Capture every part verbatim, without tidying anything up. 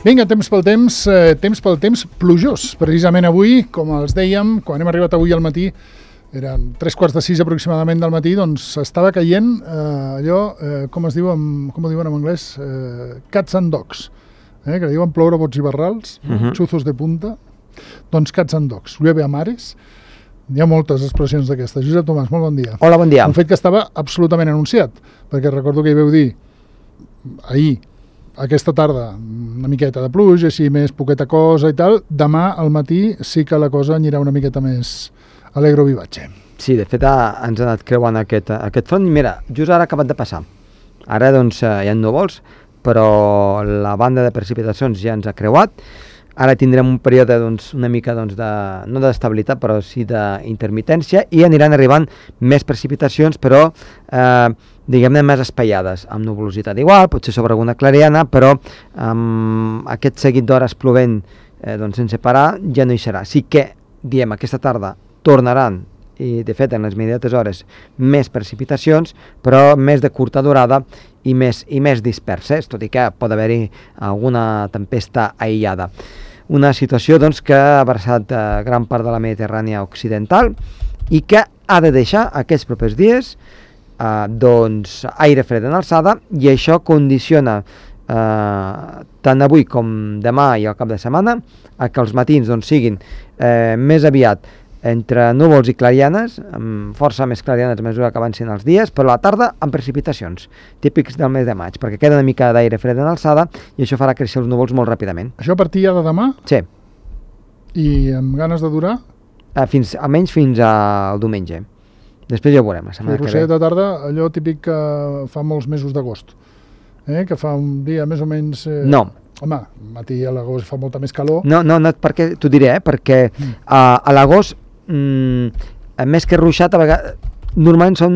Vinga, temps pel temps, eh, temps pel temps plujós. Precisament avui, com els dèiem, quan hem arribat avui al matí, eren tres quarts de sis aproximadament del matí, doncs estava caient eh, allò, eh, com es diu, en, com ho diuen en anglès, eh, cats and dogs, eh, que diuen ploure bots i barrals, uh -huh. xuzos de punta, doncs cats and dogs, llueve a mares. Hi ha moltes expressions d'aquestes. Josep Tomàs, molt bon dia. Hola, bon dia. Un fet que estava absolutament anunciat, perquè recordo que hi veu dir ahir, aquesta tarda, una miqueta de pluja, així més poqueta cosa i tal. Demà al matí sí que la cosa anirà una miqueta més alegro vivatge. Sí, de fet ha, ens ha anat creuant aquest, aquest front. Mira, just ara ha acabat de passar. Ara doncs hi ha núvols, però la banda de precipitacions ja ens ha creuat. Ara tindrem un període doncs, una mica doncs, de, no d'estabilitat, però sí d'intermitència, i aniran arribant més precipitacions, però eh, diguem-ne més espaiades, amb nuvolositat igual, potser sobre alguna clariana, però amb aquest seguit d'hores plovent eh, doncs, sense parar ja no hi serà. Sí que, diem, aquesta tarda tornaran, i de fet en les immediates hores, més precipitacions, però més de curta durada i més, i més disperses, tot i que pot haver-hi alguna tempesta aïllada. Una situació doncs, que ha abraçat eh, gran part de la Mediterrània occidental i que ha de deixar aquests propers dies eh, doncs, aire fred en alçada, i això condiciona eh, tant avui com demà i al cap de setmana a que els matins doncs, siguin eh, més aviat entre núvols i clarianes, amb força més clarianes a mesura que avancin els dies, però a la tarda amb precipitacions, típics del mes de maig, perquè queda una mica d'aire fred en alçada i això farà créixer els núvols molt ràpidament. Això a partir ja de demà? Sí. I amb ganes de durar? Eh, fins, almenys fins al diumenge. Després ja ho veurem, la setmana sí, que ve. de tarda, allò típic que fa molts mesos d'agost, eh? Que fa un dia més o menys... Eh... No. Home, al matí a l'agost fa molta més calor. No, no, no, perquè t'ho diré, eh? Perquè mm. a, a l'agost Mm, més que ruixat, a vegades, normalment són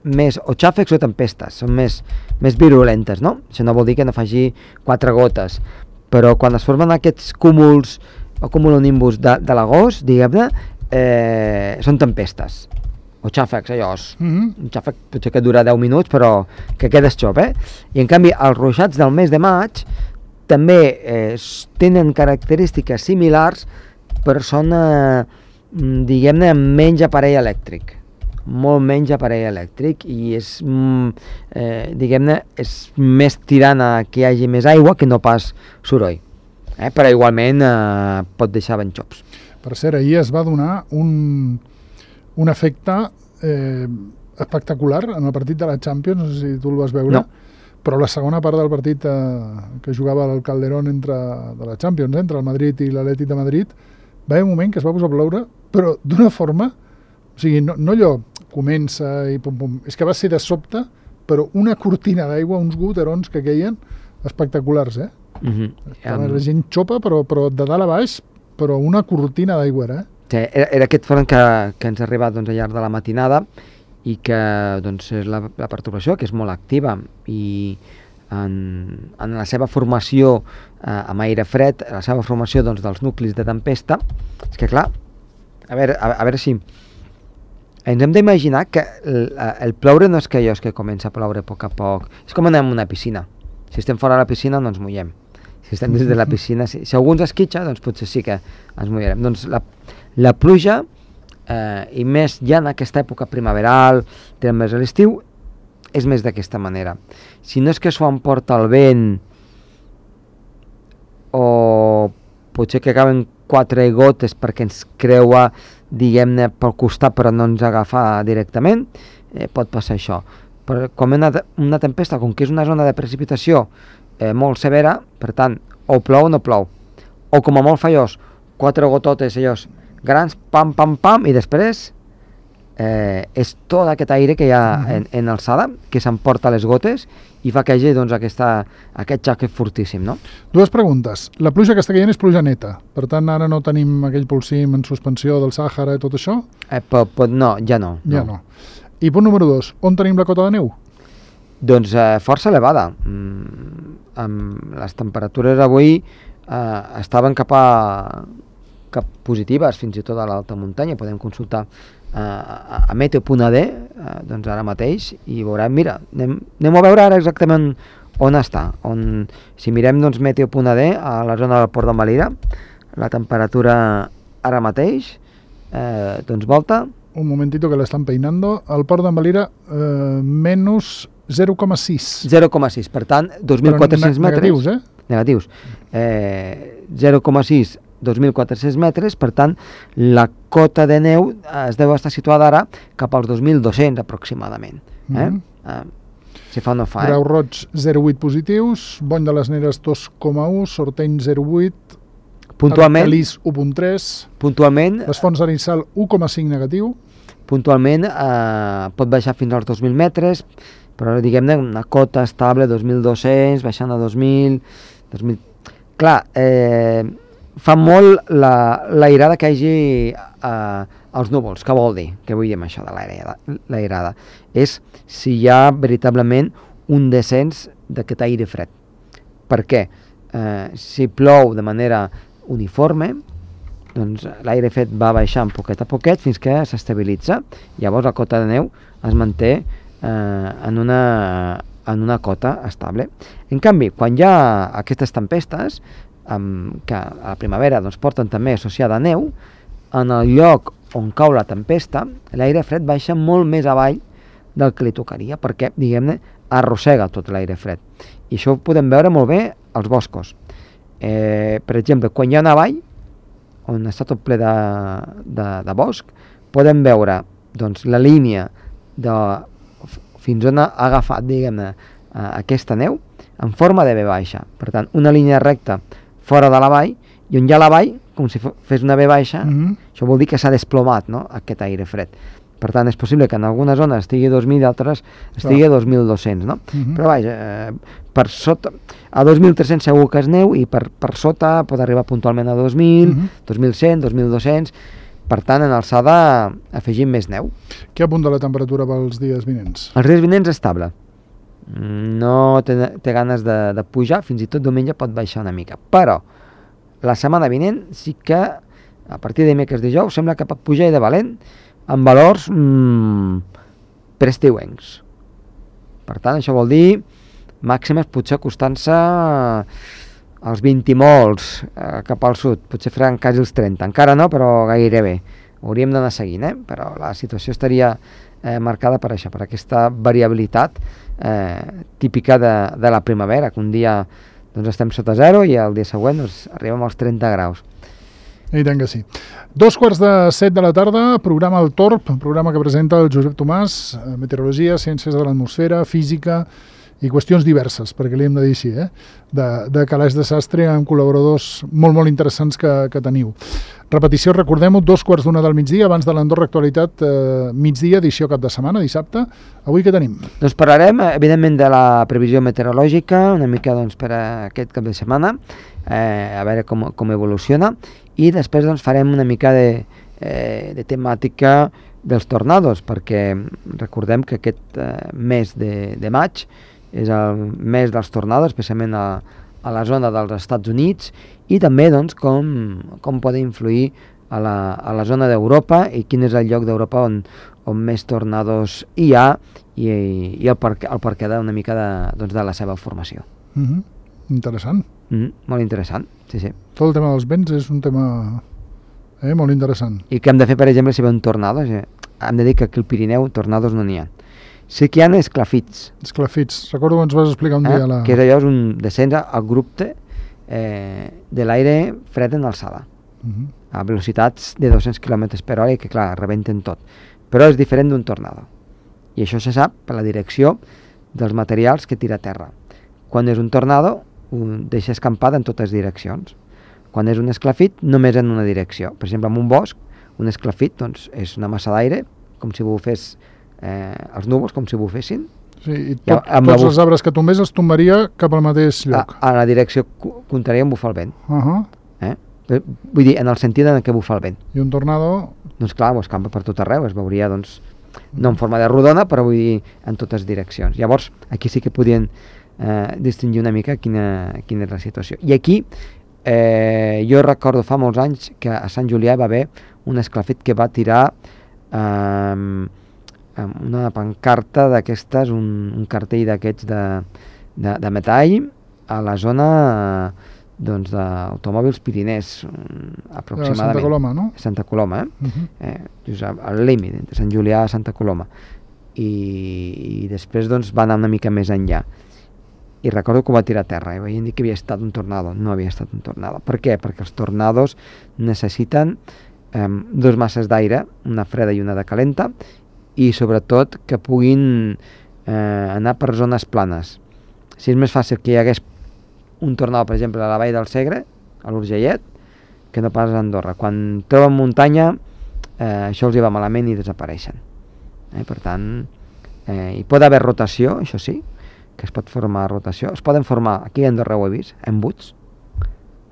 més o xàfecs o tempestes, són més, més virulentes, no? Això no vol dir que no faci quatre gotes, però quan es formen aquests cúmuls o cumulonimbus de, de l'agost, diguem-ne, eh, són tempestes o xàfecs, allò, mm-hmm. un xàfec potser que dura deu minuts, però que quedes xop, eh? I en canvi els ruixats del mes de maig també eh, tenen característiques similars, però són... Eh, diguem-ne, menys aparell elèctric, molt menys aparell elèctric, i és, eh, diguem-ne, és més tirant a que hi hagi més aigua que no pas soroll, eh? Però igualment eh, pot deixar ben xops. Per cert, ahir es va donar un, un efecte eh, espectacular en el partit de la Champions, no sé si tu el vas veure, no. Però la segona part del partit eh, que jugava al Calderón entre, de la Champions, eh, entre el Madrid i l'Atlètic de Madrid, va haver un moment que es va posar a ploure, però d'una forma, o sigui, no, no allò comença i pum pum, és que va ser de sobte, però una cortina d'aigua, uns goterons que queien espectaculars, eh? Mm-hmm. Um... La gent xopa, però, però de dalt a baix, però una cortina d'aigua era, eh? Sí, era, era aquest front que, que ens ha arribat doncs, al llarg de la matinada i que doncs, és la, la perturbació, que és molt activa, i en, en la seva formació eh, amb aire fred, la seva formació doncs, dels nuclis de tempesta, és que clar, a veure, a, a veure si ens hem d'imaginar que el, el ploure no és que allò és que comença a ploure a poc a poc, és com anem a una piscina, si estem fora de la piscina no ens mullem, si estem dins de la piscina, si, si algú ens esquitxa, doncs potser sí que ens mullarem. Doncs la, la pluja, eh, i més ja en aquesta època primaveral, més a l'estiu, és més d'aquesta manera. Si no és que s'ho emporta el vent, o potser que acaben quatre gotes perquè ens creua, diguem-ne, pel costat però no ens agafa directament, eh, pot passar això. Però com una, una tempesta, com que és una zona de precipitació eh, molt severa, per tant, o plou o no plou. O com a molt fallós, quatre gototes allòs grans, pam, pam, pam, i després eh, és tot aquest aire que hi ha en, en alçada, que s'emporta les gotes i fa que hi hagi doncs, aquesta, aquest xaque fortíssim, no? Dues preguntes. La pluja que està caient és pluja neta, per tant ara no tenim aquell polsim en suspensió del Sàhara i tot això? Eh, pot, pot, no, ja no. Ja no. no. I punt número dos, on tenim la cota de neu? Doncs eh, força elevada. Mm, amb les temperatures avui eh, estaven cap a, cap positives, fins i tot a l'alta muntanya. Podem consultar eh, a, a meteo punt a d, eh, doncs ara mateix, i veurem, mira, anem, anem a veure ara exactament on està? On, si mirem doncs, meteo punt a de a la zona del Port d'Envalira, la temperatura ara mateix, eh, doncs volta... Un momentito que l'estan peinando. El Port d'Envalira, eh, menys zero coma sis. zero coma sis, per tant, dos mil quatre-cents metres... Negatius, eh? Negatius. Eh, zero coma sis, dos mil quatre-cents metres, per tant, la cota de neu es deu estar situada ara cap als dos mil dos-cents aproximadament. Eh? Mm-hmm. eh, si fa o no fa, Grau eh? Roig, zero coma vuit positius, Bony de les Neres, dos coma u, Sorteny, zero coma vuit, Puntualment, Alcalís, u coma tres, puntualment, les Fonts d'Arissal, u coma cinc negatiu, puntualment eh, pot baixar fins als dos mil metres, però diguem-ne una cota estable, dos mil dos-cents, baixant a dos mil... dos mil... Clar, eh, fa molt la, l'airada que hi hagi eh, als núvols. Què vol dir? Què vull dir amb això de l'airada? L'airada és si hi ha veritablement un descens d'aquest aire fred. Per què? Eh, si plou de manera uniforme, doncs l'aire fred va baixant poquet a poquet fins que s'estabilitza. Llavors la cota de neu es manté eh, en, una, en una cota estable. En canvi, quan hi ha aquestes tempestes, um, que a la primavera doncs, porten també associada neu, en el lloc on cau la tempesta, l'aire fred baixa molt més avall del que li tocaria, perquè, diguem-ne, arrossega tot l'aire fred. I això ho podem veure molt bé als boscos. Eh, per exemple, quan hi ha una vall, on està tot ple de, de, de bosc, podem veure doncs, la línia de fins on ha agafat, diguem-ne, aquesta neu en forma de V baixa. Per tant, una línia recta fora de la vall, i on hi ha la vall, com si fes una V baixa, mm-hmm. Això vol dir que s'ha desplomat, no?, aquest aire fred. Per tant, és possible que en algunes zones estigui a dos mil i altres estigui a dos mil dos-cents, no? Mm-hmm. Però vaja, eh, per sota, a dos mil tres-cents segur que és neu, i per, per sota pot arribar puntualment a dos mil, mm-hmm. dos mil cent, dos mil dos-cents, per tant, en alçada afegim més neu. Què apunta la temperatura pels dies vinents? Els dies vinents estable. No té, té ganes de, de pujar, fins i tot diumenge pot baixar una mica. Però la setmana vinent sí que, a partir de dimecres dijous, sembla que pot pujar i de valent, amb valors mmm, preestiuencs. Per tant, això vol dir màximes potser acostant-se als vint i molts eh, cap al sud, potser faran quasi els trenta, encara no, però gairebé. Hauríem d'anar seguint, eh? Però la situació estaria eh, marcada per això, per aquesta variabilitat eh, típica de, de la primavera, que un dia doncs, estem sota zero i el dia següent doncs, arribem als trenta graus. I tant que sí. Dos quarts de set de la tarda, programa El Torb, programa que presenta el Josep Tomàs, meteorologia, ciències de l'atmosfera, física i qüestions diverses, perquè li hem de dir així, eh? de, de calaix de sastre amb col·laboradors molt, molt interessants que, que teniu. Repetició, recordem-ho, dos quarts d'una del migdia, abans de l'Andorra Actualitat, eh, migdia, edició cap de setmana, dissabte. Avui què tenim? Doncs parlarem, evidentment, de la previsió meteorològica, una mica doncs, per a aquest cap de setmana, eh, a veure com, com evoluciona, i després doncs, farem una mica de, eh, de temàtica dels tornados, perquè recordem que aquest eh, mes de, de maig és el mes dels tornados, especialment a, a la zona dels Estats Units, i també doncs, com, com poden influir a la, a la zona d'Europa i quin és el lloc d'Europa on, on més tornados hi ha i, i el perquè, el perquè d'una mica de, doncs, de la seva formació. Mm-hmm. Interessant. Mm, molt interessant, sí, sí. Tot el tema dels vents és un tema eh, molt interessant. I què hem de fer, per exemple, si ve un tornado? Hem de dir que aquí al Pirineu tornados no n'hi ha. Sí que hi ha esclafits. Esclafits. Recordo que ens vas explicar un eh? dia la... Que és allò, és un descens abrupte eh, de l'aire fred en alçada. Uh-huh. A velocitats de dos-cents quilòmetres per hora i que, clar, rebenten tot. Però és diferent d'un tornado. I això se sap per la direcció dels materials que tira a terra. Quan és un tornado, ho deixa escampada en totes direccions. Quan és un esclafit, només en una direcció. Per exemple, en un bosc, un esclafit doncs, és una massa d'aire, com si bufés eh, els núvols, com si bufessin. Sí, i tot, ja, tots els arbres que tombés els tombaria cap al mateix lloc. A, a la direcció contrària en bufar el vent. Uh-huh. eh? Vull dir, en el sentit en què bufa el vent. I un tornado... Doncs clar, ho escampa per tot arreu, es veuria, doncs, no en forma de rodona, però vull dir, en totes direccions. Llavors, aquí sí que podien eh, distingir una mica quina, quina és la situació. I aquí, eh, jo recordo fa molts anys que a Sant Julià va haver un esclafit que va tirar eh, una pancarta d'aquestes, un, un cartell d'aquests de, de, de metall a la zona doncs, d'automòbils Pirinès, aproximadament. Santa Coloma, no? Santa Coloma, eh? Uh -huh. eh just al límit, entre Sant Julià i Santa Coloma. I, i després doncs, va anar una mica més enllà. I recordo que ho va tirar a terra i veient dir que havia estat un tornado. No havia estat un tornado. Per què? Perquè els tornados necessiten eh, dos masses d'aire, una freda i una de calenta, i sobretot que puguin eh, anar per zones planes. Si és més fàcil que hi hagués un tornado, per exemple, a la vall del Segre, a l'Urgellet, que no pas a Andorra. Quan troben muntanya, eh, això els hi va malament i desapareixen. Eh, per tant, eh, hi pot haver rotació, això sí, que es pot formar rotació. Es poden formar, aquí a Andorra ho he vist, embuts,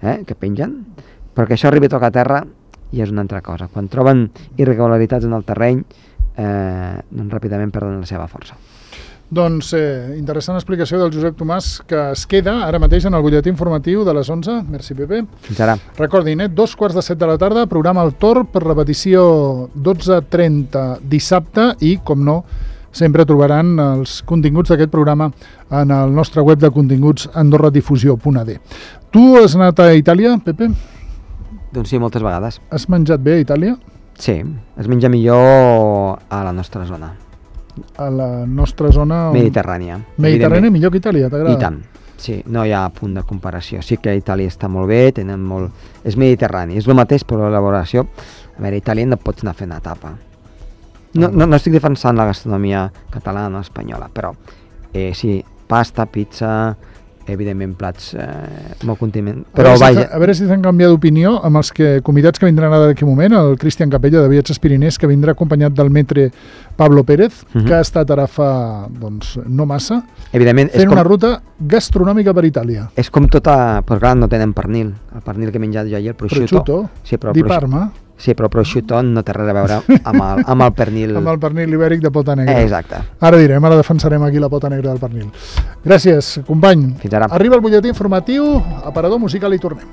eh, que pengen, però que això arribi a tocar a terra i és una altra cosa. Quan troben irregularitats en el terreny, eh, doncs ràpidament perden la seva força. Doncs eh, interessant explicació del Josep Tomàs, que es queda ara mateix en el butlletí informatiu de les onze. Merci, Pepe. Fins ara. Recordin, eh, dos quarts de set de la tarda, programa El Tor per repetició dotze trenta dissabte i, com no, sempre trobaran els continguts d'aquest programa en el nostre web de continguts andorradifusió punt a d. Tu has anat a Itàlia, Pepe? Doncs sí, moltes vegades. Has menjat bé a Itàlia? Sí, es menja millor a la nostra zona. A la nostra zona... On... Mediterrània. Mediterrània millor que Itàlia, t'agrada? I tant, sí, no hi ha punt de comparació. Sí que Itàlia està molt bé, tenen molt... És mediterrani, és el mateix, però l'elaboració... A veure, a Itàlia no pots anar fent etapa. No, no, no estic defensant la gastronomia catalana o espanyola, però eh, sí, pasta, pizza, evidentment plats eh, molt condiment. Però a, veure vaja... si a veure si t'han canviat d'opinió amb els que, convidats que vindran ara d'aquí moment, el Cristian Capella de Viatges Pirinès, que vindrà acompanyat del metre Pablo Pérez, uh -huh. que ha estat ara fa doncs, no massa, evidentment, fent és com... una ruta gastronòmica per Itàlia. És com tota... Però clar, no tenen pernil. El pernil que he menjat jo ahir, el prosciutto. Prosciutto, sí, però di Parma. Sí, però el prosciutto no té res a veure amb el, amb el pernil... amb el pernil ibèric de pota negra. Eh, exacte. Ara direm, ara defensarem aquí la pota negra del pernil. Gràcies, company. Fins ara. Arriba el butlletí informatiu, aparador musical i tornem.